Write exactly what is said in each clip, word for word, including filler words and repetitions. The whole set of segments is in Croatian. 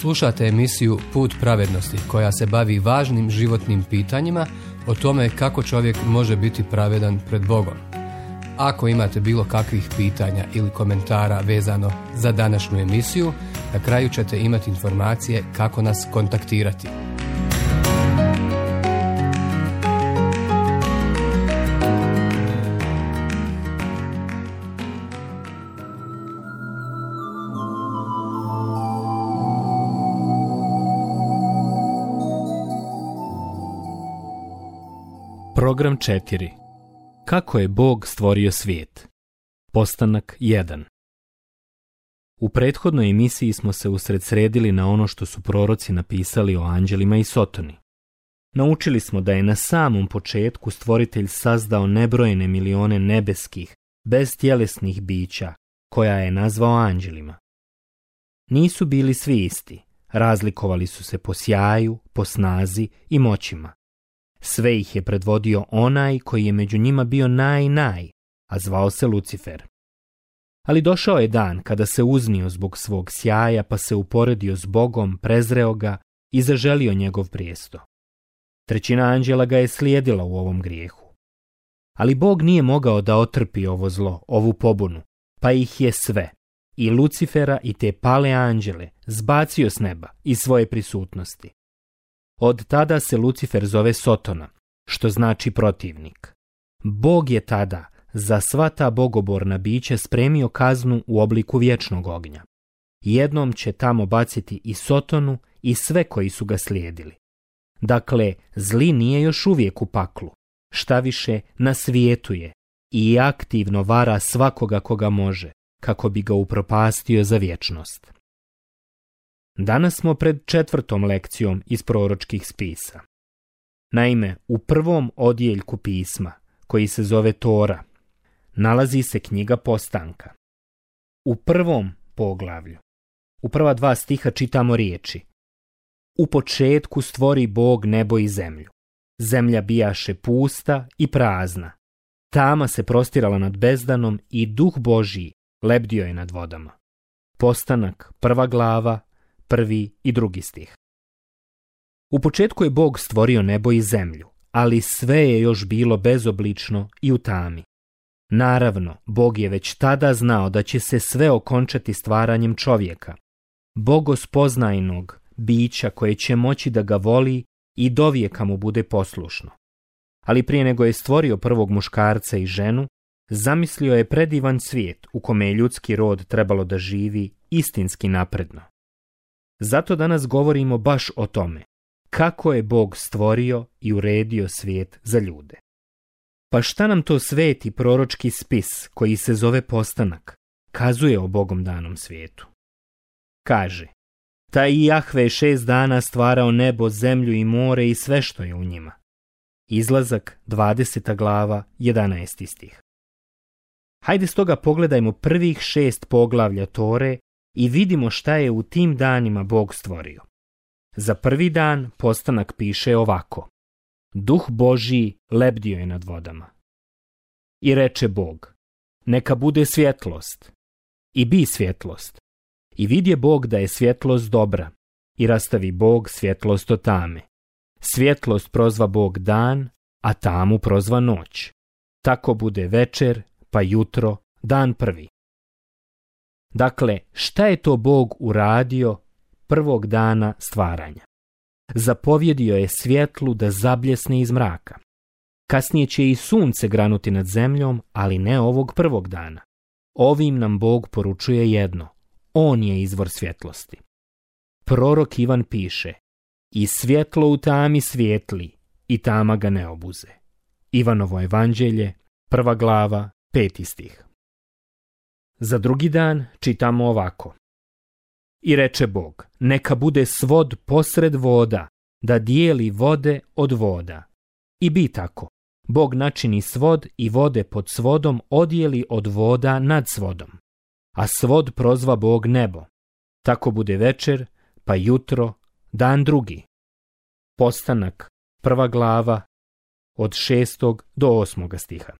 Slušate emisiju Put pravednosti koja se bavi važnim životnim pitanjima o tome kako čovjek može biti pravedan pred Bogom. Ako imate bilo kakvih pitanja ili komentara vezano za današnju emisiju, na kraju ćete imati informacije kako nas kontaktirati. Program četiri. Kako je Bog stvorio svijet? Postanak jedan. U prethodnoj emisiji smo se usredsredili na ono što su proroci napisali o anđelima i Sotoni. Naučili smo da je na samom početku Stvoritelj sazdao nebrojene milione nebeskih, beztjelesnih bića, koja je nazvao anđelima. Nisu bili svi isti, razlikovali su se po sjaju, po snazi i moćima. Sve ih je predvodio onaj koji je među njima bio naj-naj, a zvao se Lucifer. Ali došao je dan kada se uznio zbog svog sjaja, pa se uporedio s Bogom, prezreo ga i zaželio njegov prijesto. Trećina anđela ga je slijedila u ovom grijehu. Ali Bog nije mogao da otrpi ovo zlo, ovu pobunu, pa ih je sve, i Lucifera i te pale anđele, zbacio s neba iz svoje prisutnosti. Od tada se Lucifer zove Sotona, što znači protivnik. Bog je tada za sva ta bogoborna bića spremio kaznu u obliku vječnog ognja. Jednom će tamo baciti i Sotonu i sve koji su ga slijedili. Dakle, zli nije još uvijek u paklu, šta više na svijetu je i aktivno vara svakoga koga može, kako bi ga upropastio za vječnost. Danas smo pred četvrtom lekcijom iz proročkih spisa. Naime, u prvom odjeljku pisma, koji se zove Tora, nalazi se knjiga Postanka. U prvom poglavlju, u prva dva stiha čitamo riječi: U početku stvori Bog nebo i zemlju. Zemlja bijaše pusta i prazna. Tama se prostirala nad bezdanom i duh Božji lebdio je nad vodama. Postanak, prva glava, prvi i drugi stih. U početku je Bog stvorio nebo i zemlju, ali sve je još bilo bezoblično i u tami. Naravno, Bog je već tada znao da će se sve okončati stvaranjem čovjeka, bogospoznajnog bića koje će moći da ga voli i dovijeka mu bude poslušno. Ali prije nego je stvorio prvog muškarca i ženu, zamislio je predivan svijet u kome je ljudski rod trebalo da živi istinski napredno. Zato danas govorimo baš o tome, kako je Bog stvorio i uredio svijet za ljude. Pa šta nam to sveti proročki spis, koji se zove Postanak, kazuje o Bogom danom svijetu? Kaže: Taj Jahve je šest dana stvarao nebo, zemlju i more i sve što je u njima. Izlazak, dvadeseta glava, jedanaesti stih. Hajde stoga pogledajmo prvih šest poglavlja Tore i vidimo šta je u tim danima Bog stvorio. Za prvi dan Postanak piše ovako: Duh Božji lebdio je nad vodama. I reče Bog: Neka bude svjetlost. I bi svjetlost. I vidje Bog da je svjetlost dobra. I rastavi Bog svjetlost od tame. Svjetlost prozva Bog dan, a tamu prozva noć. Tako bude večer, pa jutro, dan prvi. Dakle, šta je to Bog uradio prvog dana stvaranja? Zapovjedio je svjetlu da zabljesne iz mraka. Kasnije će i sunce granuti nad zemljom, ali ne ovog prvog dana. Ovim nam Bog poručuje jedno: On je izvor svjetlosti. Prorok Ivan piše: I svjetlo u tami svijetli, i tama ga ne obuze. Ivanovo evanđelje, prva glava, peti stih. Za drugi dan čitamo ovako: I reče Bog: Neka bude svod posred voda, da dijeli vode od voda. I bi tako. Bog načini svod i vode pod svodom odijeli od voda nad svodom. A svod prozva Bog nebo. Tako bude večer, pa jutro, dan drugi. Postanak, prva glava, od šestog do osmoga stiha.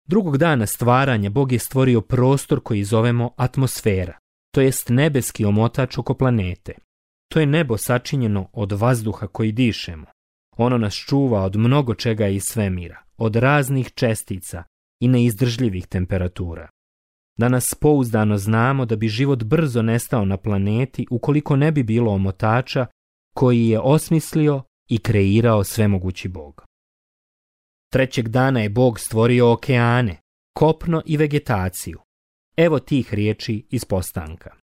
Drugog dana stvaranja Bog je stvorio prostor koji zovemo atmosfera, to jest nebeski omotač oko planete. To je nebo sačinjeno od vazduha koji dišemo. Ono nas čuva od mnogo čega iz svemira, od raznih čestica i neizdržljivih temperatura. Danas pouzdano znamo da bi život brzo nestao na planeti ukoliko ne bi bilo omotača koji je osmislio i kreirao svemogući Bog. Trećeg dana je Bog stvorio okeane, kopno i vegetaciju. Evo tih riječi iz Postanka.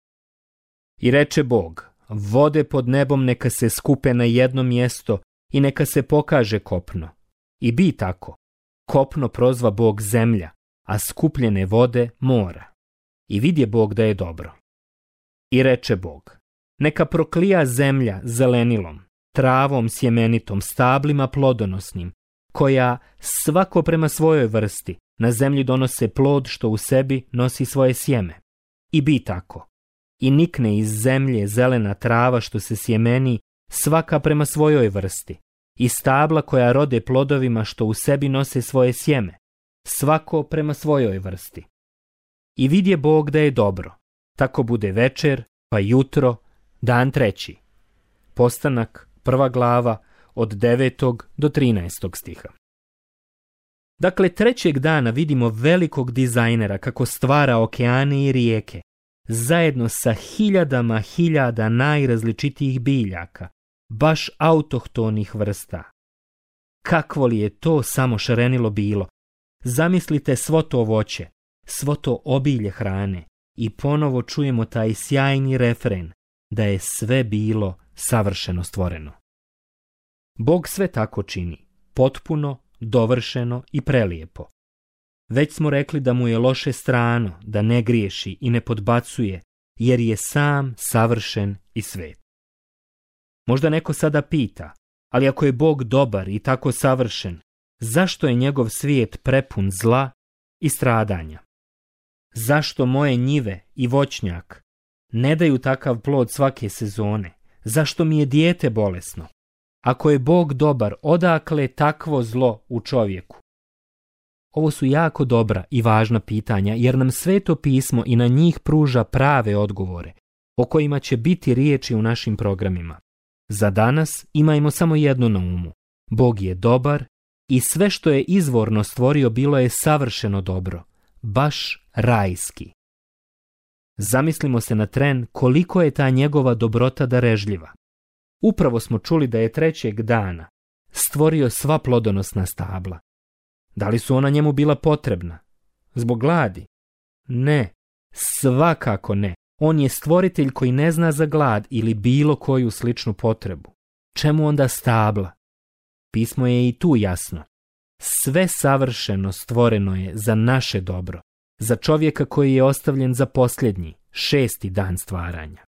I reče Bog, vode pod nebom neka se skupe na jedno mjesto i neka se pokaže kopno. I bi tako. Kopno prozva Bog zemlja, a skupljene vode mora. I vidje Bog da je dobro. I reče Bog, neka proklija zemlja zelenilom, travom sjemenitom, stablima plodonosnim, koja svako prema svojoj vrsti na zemlji donose plod što u sebi nosi svoje sjeme. I bi tako. I nikne iz zemlje zelena trava što se sjemeni, svaka prema svojoj vrsti, i stabla koja rode plodovima što u sebi nose svoje sjeme, svako prema svojoj vrsti. I vidje Bog da je dobro, tako bude večer, pa jutro, dan treći. Postanak, prva glava, od devetog do trinaestog stiha. Dakle, trećeg dana vidimo velikog dizajnera kako stvara okeane i rijeke, zajedno sa hiljadama hiljada najrazličitijih biljaka, baš autohtonih vrsta. Kakvo li je to samo šarenilo bilo? Zamislite svo to voće, svo to obilje hrane i ponovo čujemo taj sjajni refren da je sve bilo savršeno stvoreno. Bog sve tako čini, potpuno, dovršeno i prelijepo. Već smo rekli da mu je loše strano, da ne griješi i ne podbacuje, jer je sam savršen i svet. Možda neko sada pita, ali ako je Bog dobar i tako savršen, zašto je njegov svijet prepun zla i stradanja? Zašto moje njive i voćnjak ne daju takav plod svake sezone? Zašto mi je dijete bolesno? Ako je Bog dobar, odakle takvo zlo u čovjeku? Ovo su jako dobra i važna pitanja, jer nam Sveto pismo i na njih pruža prave odgovore, o kojima će biti riječi u našim programima. Za danas imajmo samo jedno na umu. Bog je dobar i sve što je izvorno stvorio bilo je savršeno dobro, baš rajski. Zamislimo se na tren koliko je ta njegova dobrota darežljiva. Upravo smo čuli da je trećeg dana stvorio sva plodonosna stabla. Da li su ona njemu bila potrebna? Zbog gladi? Ne, svakako ne. On je stvoritelj koji ne zna za glad ili bilo koju sličnu potrebu. Čemu onda stabla? Pismo je i tu jasno. Sve savršeno stvoreno je za naše dobro, za čovjeka koji je ostavljen za posljednji, šesti dan stvaranja.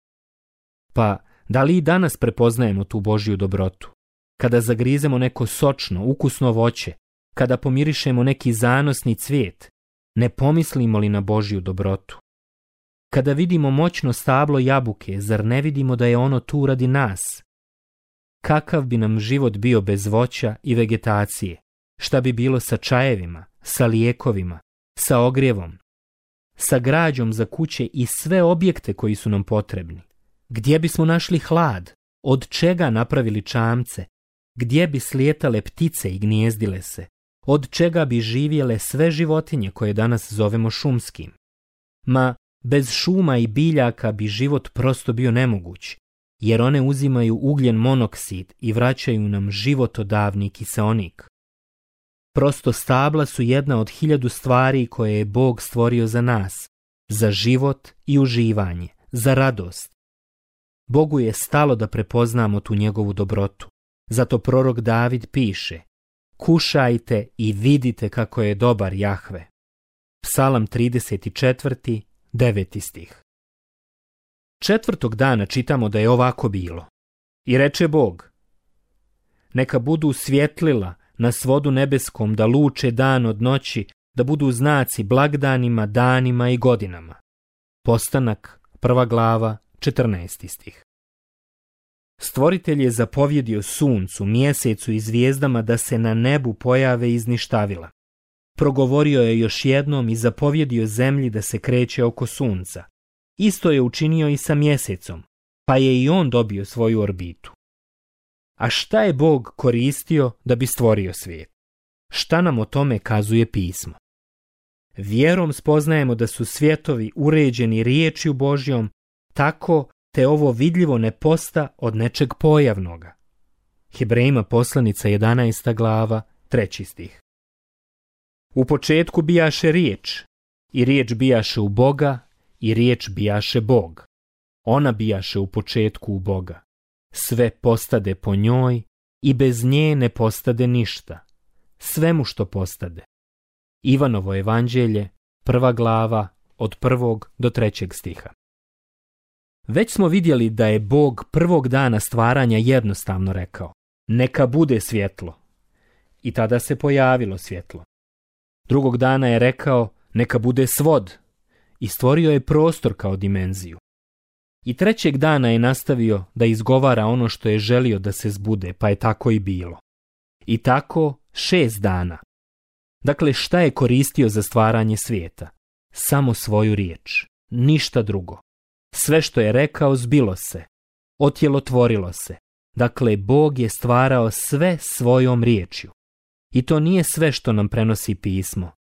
Pa, da li i danas prepoznajemo tu Božju dobrotu? Kada zagrizemo neko sočno, ukusno voće, kada pomirišemo neki zanosni cvijet, ne pomislimo li na Božju dobrotu? Kada vidimo moćno stablo jabuke, zar ne vidimo da je ono tu radi nas? Kakav bi nam život bio bez voća i vegetacije? Šta bi bilo sa čajevima, sa lijekovima, sa ogrjevom, sa građom za kuće i sve objekte koji su nam potrebni? Gdje bismo našli hlad? Od čega napravili čamce? Gdje bi slijetale ptice i gnjezdile se? Od čega bi živjele sve životinje koje danas zovemo šumskim? Ma, bez šuma i biljaka bi život prosto bio nemoguć, jer one uzimaju ugljen monoksid i vraćaju nam životodavni kiseonik. Prosto stabla su jedna od hiljadu stvari koje je Bog stvorio za nas, za život i uživanje, za radost. Bogu je stalo da prepoznamo tu njegovu dobrotu. Zato prorok David piše: kušajte i vidite kako je dobar Jahve. Psalam trideset četiri, deveti stih. Četvrtog dana čitamo da je ovako bilo. I reče Bog: neka budu svjetlila na svodu nebeskom da luče dan od noći, da budu znaci blagdanima, danima i godinama. Postanak, prva glava, četrnaesti stih. Stvoritelj je zapovjedio suncu, mjesecu i zvijezdama da se na nebu pojave iz ništavila. Progovorio je još jednom i zapovjedio zemlji da se kreće oko sunca. Isto je učinio i sa mjesecom, pa je i on dobio svoju orbitu. A šta je Bog koristio da bi stvorio svijet? Šta nam o tome kazuje pismo? Vjerom spoznajemo da su svjetovi uređeni riječju Božjom, tako te ovo vidljivo ne posta od nečeg pojavnoga. Hebrejima poslanica jedanaesta glava, treći stih. U početku bijaše riječ, i riječ bijaše u Boga, i riječ bijaše Bog. Ona bijaše u početku u Boga. Sve postade po njoj i bez nje ne postade ništa. Svemu što postade. Ivanovo evanđelje, prva glava, od prvog do trećeg stiha. Već smo vidjeli da je Bog prvog dana stvaranja jednostavno rekao: neka bude svjetlo. I tada se pojavilo svjetlo. Drugog dana je rekao: neka bude svod. I stvorio je prostor kao dimenziju. I trećeg dana je nastavio da izgovara ono što je želio da se zbude, pa je tako i bilo. I tako šest dana. Dakle, šta je koristio za stvaranje svijeta? Samo svoju riječ, ništa drugo. Sve što je rekao zbilo se, otjelotvorilo se. Dakle, Bog je stvarao sve svojom riječju. I to nije sve što nam prenosi pismo.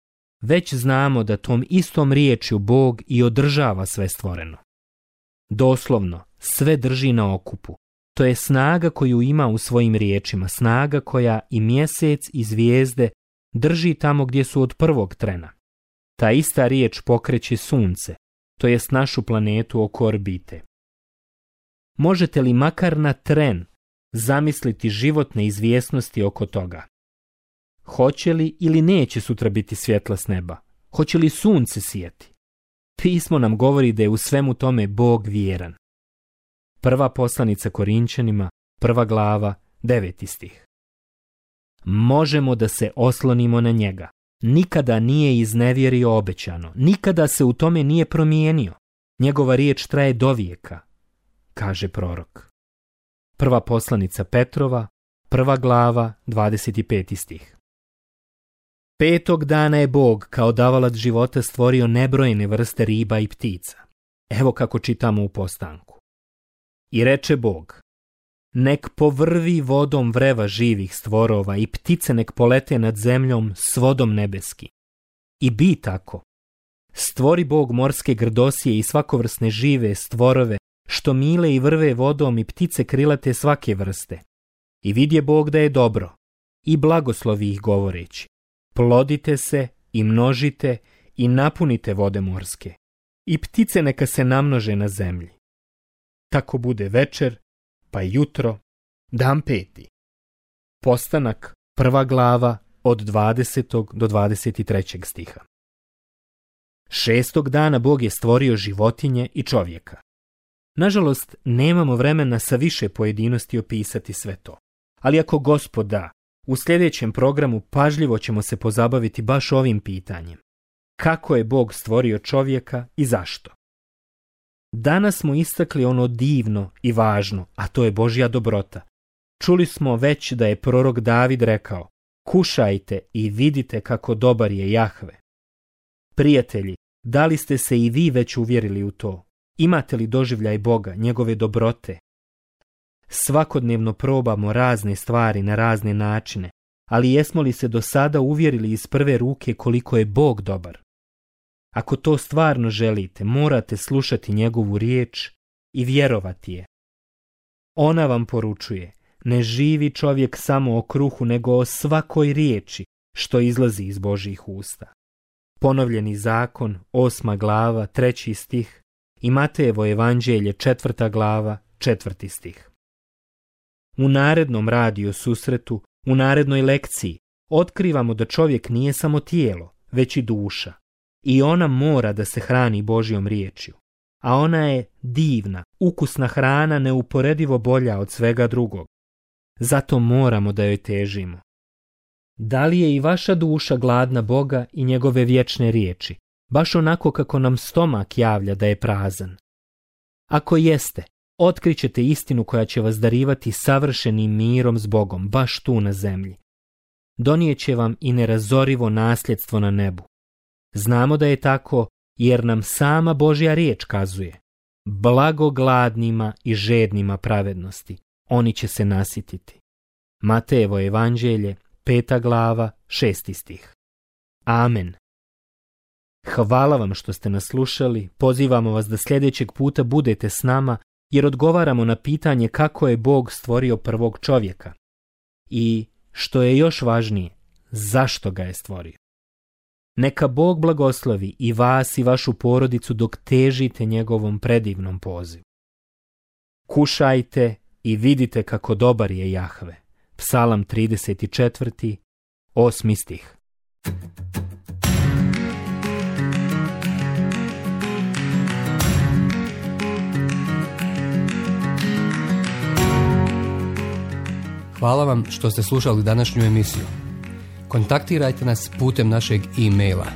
Već znamo da tom istom riječju Bog i održava sve stvoreno. Doslovno, sve drži na okupu. To je snaga koju ima u svojim riječima, snaga koja i mjesec i zvijezde drži tamo gdje su od prvog trena. Ta ista riječ pokreće sunce, to jest našu planetu oko orbite. Možete li makar na tren zamisliti životne izvjesnosti oko toga? Hoće li ili neće sutra biti svjetla s neba? Hoće li sunce sijati? Pismo nam govori da je u svemu tome Bog vjeran. Prva poslanica Korinčanima, prva glava, deveti stih. Možemo da se oslonimo na njega. Nikada nije iznevjerio obećano, nikada se u tome nije promijenio. Njegova riječ traje dovijeka, kaže prorok. Prva poslanica Petrova, prva glava, dvadeset peti stih. Petog dana je Bog kao davalac života stvorio nebrojene vrste riba i ptica. Evo kako čitamo u Postanku. I reče Bog: nek povrvi vodom vreva živih stvorova i ptice nek polete nad zemljom s vodom nebeski. I bi tako. Stvori Bog morske grdosije i svakovrsne žive stvorove, što mile i vrve vodom i ptice krilate svake vrste. I vidje Bog da je dobro, i blagoslovi ih govoreći: plodite se i množite i napunite vode morske, i ptice neka se namnože na zemlji. Tako bude večer, pa jutro, dan peti. Postanak, prva glava, od dvadesetog do dvadeset trećeg stiha. Šestog dana Bog je stvorio životinje i čovjeka. Nažalost, nemamo vremena sa više pojedinosti opisati sve to. Ali ako Gospod da, u sljedećem programu pažljivo ćemo se pozabaviti baš ovim pitanjem. Kako je Bog stvorio čovjeka i zašto? Danas smo istakli ono divno i važno, a to je Božja dobrota. Čuli smo već da je prorok David rekao: kušajte i vidite kako dobar je Jahve. Prijatelji, da li ste se i vi već uvjerili u to? Imate li doživljaj Boga, njegove dobrote? Svakodnevno probamo razne stvari na razne načine, ali jesmo li se do sada uvjerili iz prve ruke koliko je Bog dobar? Ako to stvarno želite, morate slušati njegovu riječ i vjerovati je. Ona vam poručuje: ne živi čovjek samo o kruhu, nego o svakoj riječi što izlazi iz Božjih usta. Ponovljeni zakon, osma glava, treći stih, i Matejevo evanđelje, četvrta glava, četvrti stih. U narednom radio susretu, u narednoj lekciji, otkrivamo da čovjek nije samo tijelo, već i duša. I ona mora da se hrani Božjom riječju. A ona je divna, ukusna hrana, neuporedivo bolja od svega drugog. Zato moramo da joj težimo. Da li je i vaša duša gladna Boga i njegove vječne riječi, baš onako kako nam stomak javlja da je prazan? Ako jeste, otkrićete istinu koja će vas darivati savršenim mirom s Bogom, baš tu na zemlji. Donijeće vam i nerazorivo nasljedstvo na nebu. Znamo da je tako jer nam sama Božja riječ kazuje: Blago gladnima i žednima pravednosti, oni će se nasititi. Matejevo evanđelje, peta glava, šesti stih. Amen. Hvala vam što ste nas slušali, pozivamo vas da sljedećeg puta budete s nama, jer odgovaramo na pitanje kako je Bog stvorio prvog čovjeka. I, što je još važnije, zašto ga je stvorio. Neka Bog blagoslovi i vas i vašu porodicu dok težite njegovom predivnom pozivu. Kušajte i vidite kako dobar je Jahve. Psalam trideset četiri, osmi stih. Hvala vam što ste slušali današnju emisiju. Kontaktirajte nas putem našeg e-maila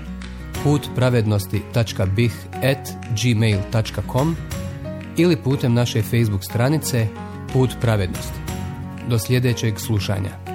put pravednosti tačka b i h at gmail tačka com ili putem naše Facebook stranice Put pravednosti. Do sljedećeg slušanja.